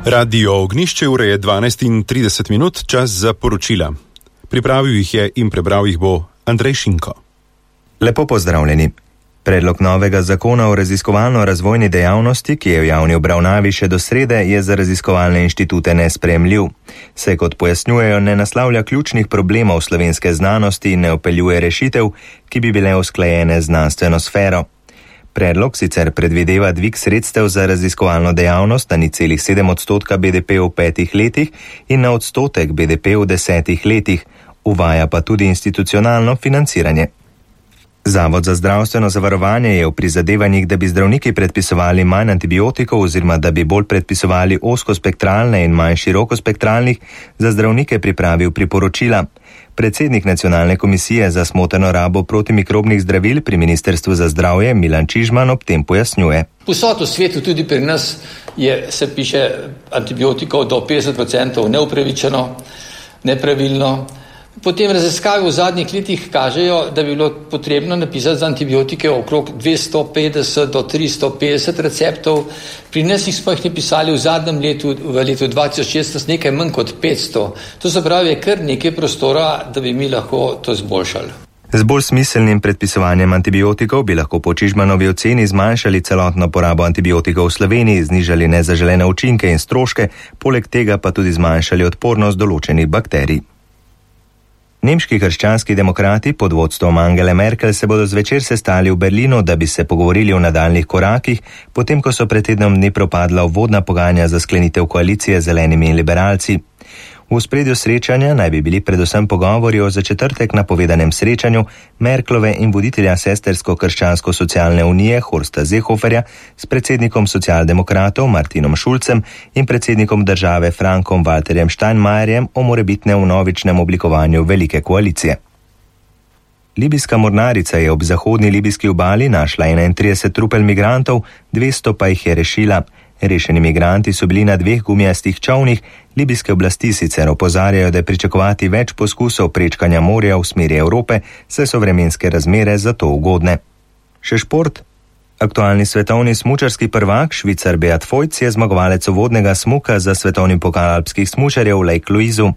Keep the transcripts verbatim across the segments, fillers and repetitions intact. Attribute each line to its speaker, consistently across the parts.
Speaker 1: Radio Ognjišče, ura je dvanajst in trideset minut, čas za poročila. Pripravil jih je in prebral jih bo Andrej Šinko.
Speaker 2: Lepo pozdravljeni. Predlog novega zakona o raziskovalno-razvojni dejavnosti, ki je v javni obravnavi še do srede, je za raziskovalne inštitute nesprejemljiv. Se, kot pojasnjujejo, ne naslavlja ključnih problemov slovenske znanosti in ne vpeljuje rešitev, ki bi bile usklajene z znanstveno sfero. Predlog sicer predvideva dvig sredstev za raziskovalno dejavnost na nič celih sedem odstotka B D P v petih letih in na odstotek B D P v desetih letih, uvaja pa tudi institucionalno financiranje. Zavod za zdravstveno zavarovanje je v prizadevanjih, da bi zdravniki predpisovali manj antibiotikov oziroma da bi bolj predpisovali ozkospektralne in manj širokospektralnih, za zdravnike pripravil priporočila. Predsednik Nacionalne komisije za smotrno rabo protimikrobnih zdravil pri Ministrstvu za zdravje Milan Čižman ob tem pojasnjuje.
Speaker 3: Povsod v svetu, tudi pri nas, je, se piše antibiotikov do petdeset odstotkov neupravičeno, nepravilno. Potem raziskave v zadnjih letih kažejo, da bi bilo potrebno napisati za antibiotike okrog dvesto petdeset do tristo petdeset receptov. Pri nas jih smo jih napisali v zadnjem letu, v letu dva tisoč šestnajst, nekaj manj kot petsto. To se pravi, je kar nekaj prostora, da bi mi lahko to izboljšali.
Speaker 2: Z bolj smiselnim predpisovanjem antibiotikov bi lahko po Čižmanovi oceni zmanjšali celotno porabo antibiotikov v Sloveniji, znižali nezaželene učinke in stroške, poleg tega pa tudi zmanjšali odpornost določenih bakterij. Nemški krščanski demokrati pod vodstvom Angele Merkel se bodo zvečer sestali v Berlinu, da bi se pogovorili o nadaljnjih korakih, potem ko so pred tednom dni propadla uvodna pogajanja za sklenitev koalicije z zelenimi in liberalci. V ospredju srečanja naj bi bili predvsem pogovori o za četrtek napovedanem srečanju Merklove in voditelja sestersko-krščansko-socialne unije Horsta Seehoferja s predsednikom socialdemokratov Martinom Schulzem in predsednikom države Frankom Walterjem Steinmeierjem o morebitnem vnovičnem oblikovanju velike koalicije. Libijska mornarica je ob zahodni libijski obali našla enaintrideset trupel migrantov, dvesto pa jih je rešila. Rešeni migranti so bili na dveh gumijastih čovnih, libijske oblasti sicer opozarjajo, da je pričakovati več poskusov prečkanja morja v smeri Evrope, saj so vremenske razmere za to ugodne. Še šport. Aktualni svetovni smučarski prvak, Švicar Beat Feuz, je zmagovalec uvodnega smuka za svetovni pokal alpskih smučarjev v Lake Louisu.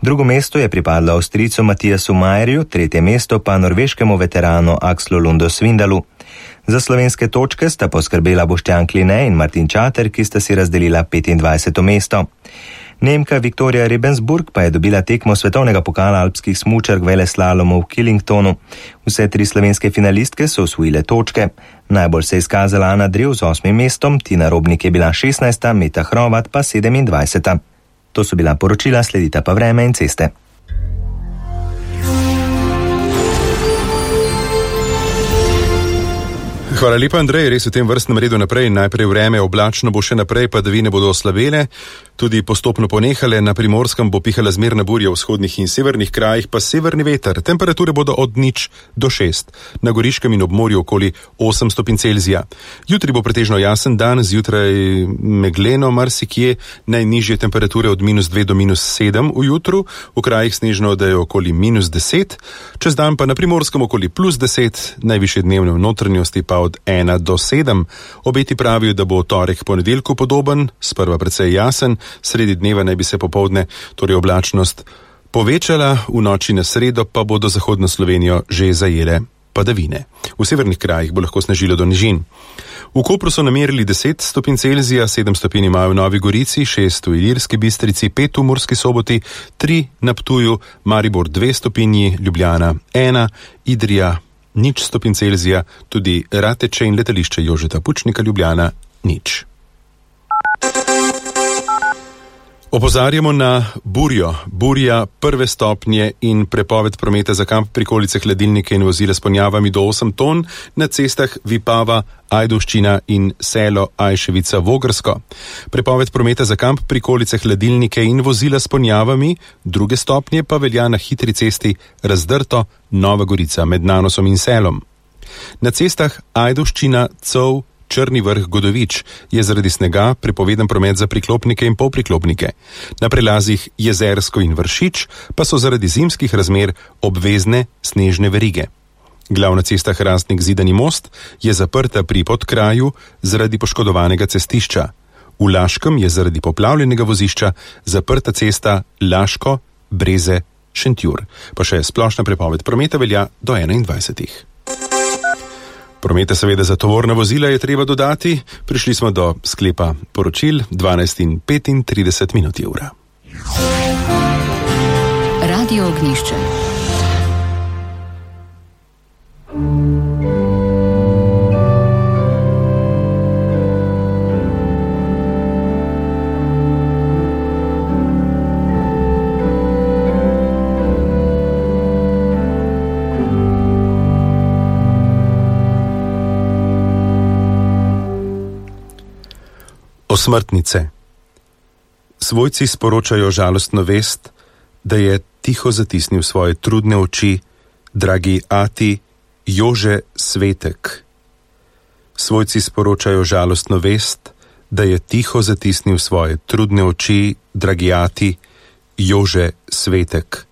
Speaker 2: Drugo mesto je pripadlo Avstrijcu Matijasu Majerju, tretje mesto pa norveškemu veteranu Akslu Lundu Svindalu. Za slovenske točke sta poskrbela Boštjan Kline in Martin Čater, ki sta si razdelila petindvajseto mesto. Nemka Viktorija Rebensburg pa je dobila tekmo svetovnega pokala alpskih smučark veleslalomu v Killingtonu. Vse tri slovenske finalistke so osvojile točke. Najbolj se je izkazala Ana Drev z osmim mestom, Tina Robnik je bila šestnajsta, Meta Hrovat pa sedemindvajseta. To so bila poročila, sledita pa vreme in ceste.
Speaker 1: Hvala lepa, Andrej, res v tem vrstnem redu naprej. Najprej vreme, oblačno bo še naprej, padavine bodo oslabele, tudi postopno ponehale. Na Primorskem bo pihala zmerna burja, v vzhodnih in severnih krajih pa severni veter. Temperature bodo od nič do šest. Na Goriškem in ob morju okoli osem stopinj Celzija. Jutri bo pretežno jasen dan, zjutraj megleno marsikje, najnižje temperature od minus dve do minus sedem v jutru, v krajih snežno, da je okoli minus deset, čez dan pa na Primorskem okoli plus deset, najvišje dnevne v notranjosti pa od ena do sedem. Obeti pravijo, da bo torek ponedeljku podoben, sprva precej jasen, sredi dneva naj bi se popoldne, torej oblačnost povečala, v noči na sredo pa bodo zahodno Slovenijo že zajele padavine. V severnih krajih bo lahko snežilo do nižin. V Kopru so namerili deset stopinj Celzija, sedem stopinj imajo v Novi Gorici, šest v Ilirski Bistrici, pet v Murski Soboti, tri na Ptuju, Maribor dve stopinji, Ljubljana ena, Idrija nič stopinj Celzija, tudi Rateče in letališče Jožeta Pučnika Ljubljana nič. Opozarjamo na burjo. Burja prve stopnje in prepoved prometa za kamp, prikolice, hladilnike in vozila s ponjavami do osem ton na cestah Vipava, Ajdovščina in selo Ajševica Vogrsko. Prepoved prometa za kamp, prikolice, hladilnike in vozila s ponjavami, druge stopnje pa velja na hitri cesti Razdrto, Nova Gorica med Nanosom in selom. Na cestah Ajdovščina, Cov, Črni vrh, Godovič je zaradi snega prepovedan promet za priklopnike in polpriklopnike. Na prelazih Jezersko in Vršič pa so zaradi zimskih razmer obvezne snežne verige. Glavna cesta Hrastnik Zidani most je zaprta pri Podkraju zaradi poškodovanega cestišča. V Laškem je zaradi poplavljenega vozišča zaprta cesta Laško-Breze-Šentjur. Pa še splošna prepoved prometa velja do enaindvajsetih. Prometa seveda za tovorna vozila je treba dodati. Prišli smo do sklepa poročil, dvanajst in petintrideset minut je ura.
Speaker 4: Radio Ognjišče.
Speaker 1: Osmrtnice. Svojci sporočajo žalostno vest, da je tiho zatisnil svoje trudne oči dragi ati Jože Svetek. Svojci sporočajo žalostno vest, da je tiho zatisnil svoje trudne oči dragi ati Jože Svetek.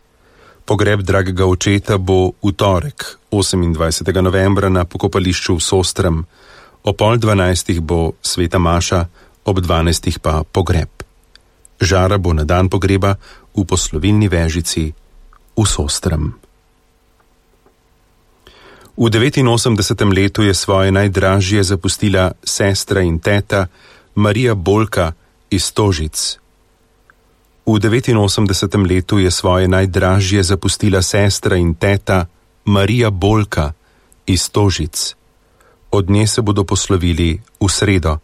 Speaker 1: Pogreb dragega očeta bo v torek, osemindvajsetega novembra na pokopališču v Sostrem. O pol dvanajstih bo sveta maša, ob dvanajstih pa pogreb. Žara bo na dan pogreba v poslovilni vežici v Sostrem. V devetinosemdesetem letu je svoje najdražje zapustila sestra in teta Marija Bolka iz Stožic. V devetinosemdesetem letu je svoje najdražje zapustila sestra in teta Marija Bolka iz Stožic. Od nje se bodo poslovili v sredo,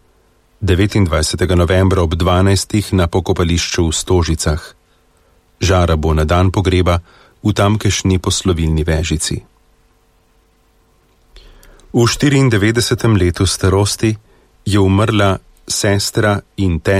Speaker 1: devetindvajsetega novembra ob dvanajstih na pokopališču v Stožicah. Žara bo na dan pogreba v tamkajšnji poslovilni vežici. V štiriindevetdesetem letu starosti je umrla sestra in teta